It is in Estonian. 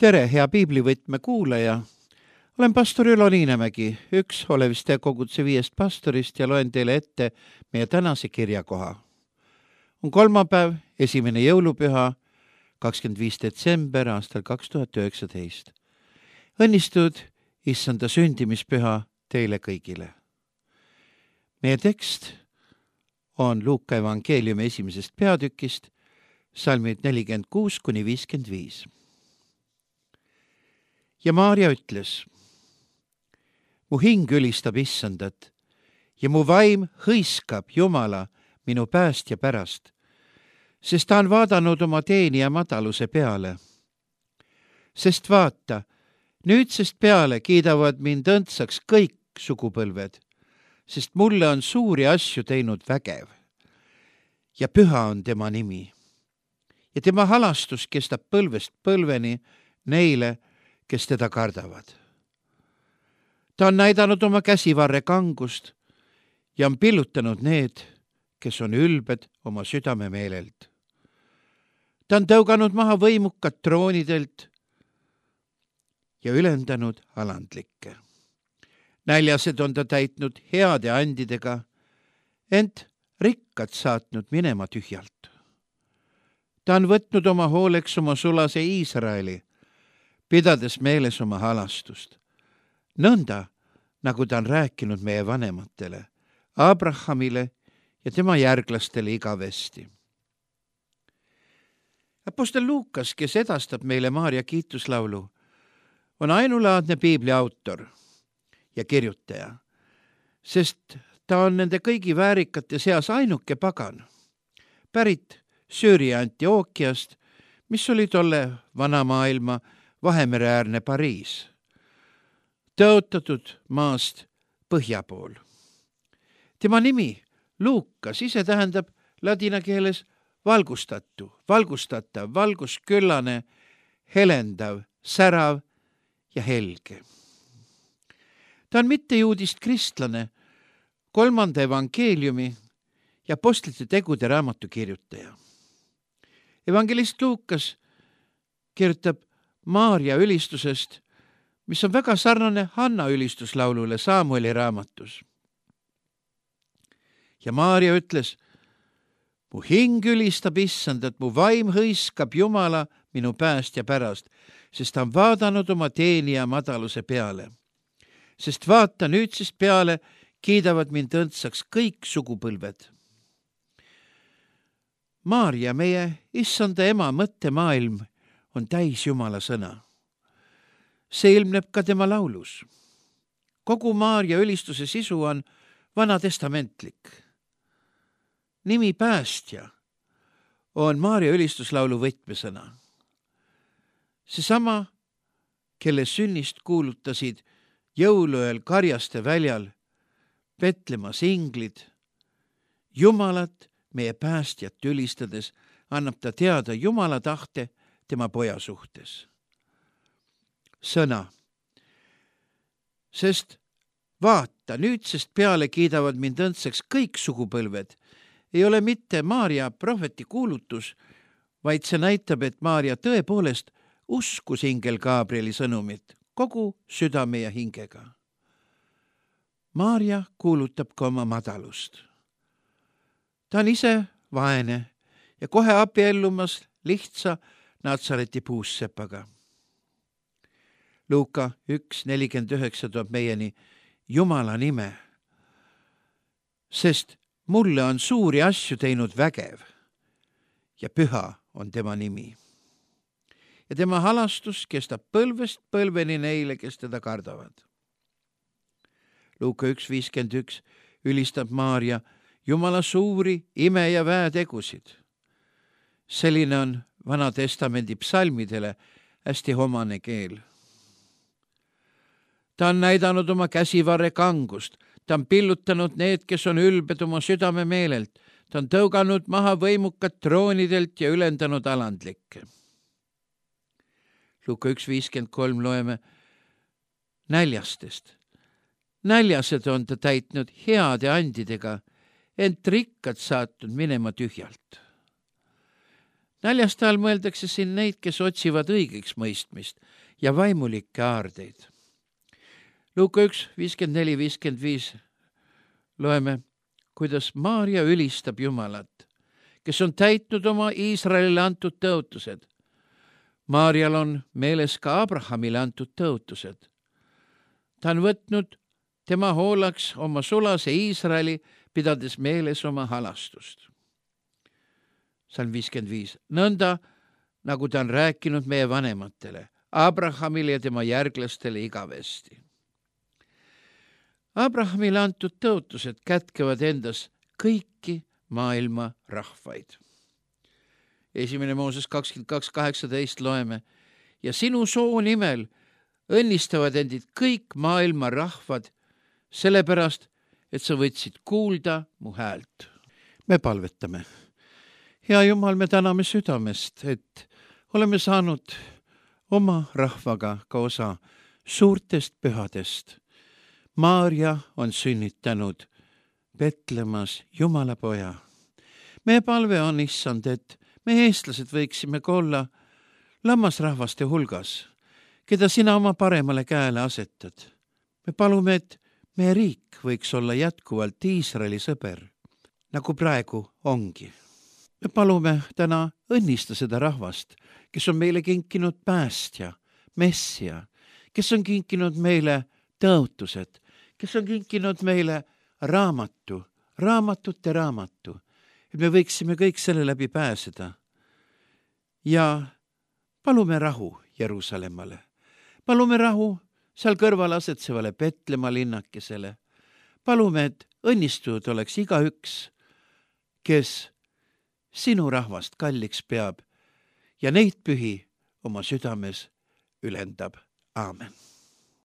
Tere, hea piiblivõtme kuulaja! Olen pastor Ülo Niinemägi, üks Oleviste koguduse 5 pastorist ja loen teile ette meie tänase kirjakoha. On kolmapäev, 1. jõulupüha, 25. detsember aastal 2019. Õnnistud issanda sündimispüha teile kõigile. Meie tekst on Luuka evangeeliumi 1. peatükist, salmid 46-55. Ja Maarja ütles: mu hing ülistab issandat ja mu vaim hõiskab Jumala minu päästja pärast, sest ta on vaadanud oma teenija madaluse peale. Sest vaata, nüüdsest peale kiidavad mind õndsaks kõik sugupõlved, sest mulle on suuri asju teinud vägev ja püha on tema nimi. Ja tema halastus kestab põlvest põlveni neile, kes teda kardavad. Ta on näidanud oma käsivarre kangust ja on pillutanud need, kes on ülbed oma südamemeelelt. Ta on tõuganud maha võimukad troonidelt ja ülendanud alandlikke. Näljased on ta täitnud heade andidega, ent rikkad saatnud minema tühjalt. Ta on võtnud oma hooleks oma sulase Iisraeli, pidades meeles oma halastust, nõnda, nagu ta on rääkinud meie vanematele, Abrahamile ja tema järglastele igavesti. Apostel Luukas, kes edastab meile Maarja kiituslaulu, on ainulaadne piibli autor ja kirjutaja, sest ta on nende kõigi väärikate seas ainuke pagan, pärit Süüria Antiookiast, mis oli tolle vana maailma Vahemereäärne Pariis, tõotatud maast põhja pool. Tema nimi Luukas ise tähendab ladina keeles valgustatu, valgustatav, valgusküllane, helendav, särav ja helge. Ta on mittejuudist kristlane, 3. evangeeliumi ja apostlite tegude raamatu kirjutaja. Evangelist Luukas kirjutab Maarja ülistusest, mis on väga sarnane Hanna ülistuslaulule Saamueli raamatus. Ja Maarja ütles: mu hing ülistab issandat, mu vaim hõiskab Jumala minu päästja pärast, sest ta on vaadanud oma teenija madaluse peale. Sest vaata, nüüdsest peale kiidavad mind õndsaks kõik sugupõlved. Maarja, meie issanda ema mõttemaailm, on täis Jumala sõna. See ilmneb ka tema laulus. Kogu Maarja ülistuse sisu on vanatestamentlik. Nimi päästja on Maarja ülistuslaulu võtmesõna. Seesama, kelle sünnist kuulutasid jõuluööl Karjaste väljal Petlemas inglid, Jumalat, meie päästjat ülistades, annab ta teada Jumala tahte tema poja suhtes. Sõna. Sest vaata, nüüdsest peale kiidavad mind õndsaks kõik sugupõlved, ei ole mitte Maarja prohveti kuulutus, vaid see näitab, et Maarja tõepoolest uskus ingel Gabrieli sõnumit kogu südame ja hingega. Maarja kuulutab ka oma madalust. Ta on ise vaene ja kohe abiellumas lihtsa Natsareti puussepaga. Luuka 1:49 toob meieni Jumala nime, sest mulle on suuri asju teinud vägev ja püha on tema nimi. Ja tema halastus kestab põlvest põlveni neile, kes teda kardavad. Luuka 1:51 ülistab Maarja Jumala suuri ime- ja väetegusid. Selline on Vana Testamendi psalmidele hästi omane keel. Ta on näidanud oma käsivarre kangust, ta on pillutanud need, kes on ülbed oma südamemeelelt, ta on tõuganud maha võimukad troonidelt ja ülendanud alandlikke. Luuka 1:53 loeme näljastest. Näljased on ta täitnud heade andidega, ent rikkad saatnud minema tühjalt. Näljaste all mõeldakse siin neid, kes otsivad õigeks mõistmist ja vaimulikke aardeid. Luuka 1:54-55 loeme, kuidas Maarja ülistab Jumalat, kes on täitnud oma Iisraelile antud tõotused. Maarjal on meeles ka Abrahamile antud tõotused. Ta on võtnud tema hoolaks oma sulase Iisraeli, pidades meeles oma halastust. Salm 55. Nõnda, nagu ta on rääkinud meie vanematele, Abrahamile ja tema järglastele igavesti. Abrahamile antud tõotused kätkevad endas kõiki maailma rahvaid. 1. Mooses 22:18 loeme, ja sinu soo nimel õnnistavad endid kõik maailma rahvad, sellepärast, et sa võtsid kuulda mu häält. Me palvetame. Hea Jumal, me täname südamest, et oleme saanud oma rahvaga ka osa suurtest pühadest. Maarja on sünnitanud Betlemas Jumala poja. Meie palve on, issand, et me eestlased võiksime ka olla lammasrahvaste hulgas, keda sina oma paremale käele asetad. Me palume, et meie riik võiks olla jätkuvalt Iisraeli sõber, nagu praegu ongi. Me palume täna õnnista seda rahvast, kes on meile kinkinud päästja, messia, kes on kinkinud meile tõotused, kes on kinkinud meile raamatute raamatu, et me võiksime kõik selle läbi pääseda. Ja palume rahu Jeruusalemmale. Palume rahu seal kõrval asetsevale Petlemma linnakesele. Palume, et õnnistunud oleks igaüks, kes sinu rahvast kalliks peab ja neid pühi oma südames ülendab. Aamen.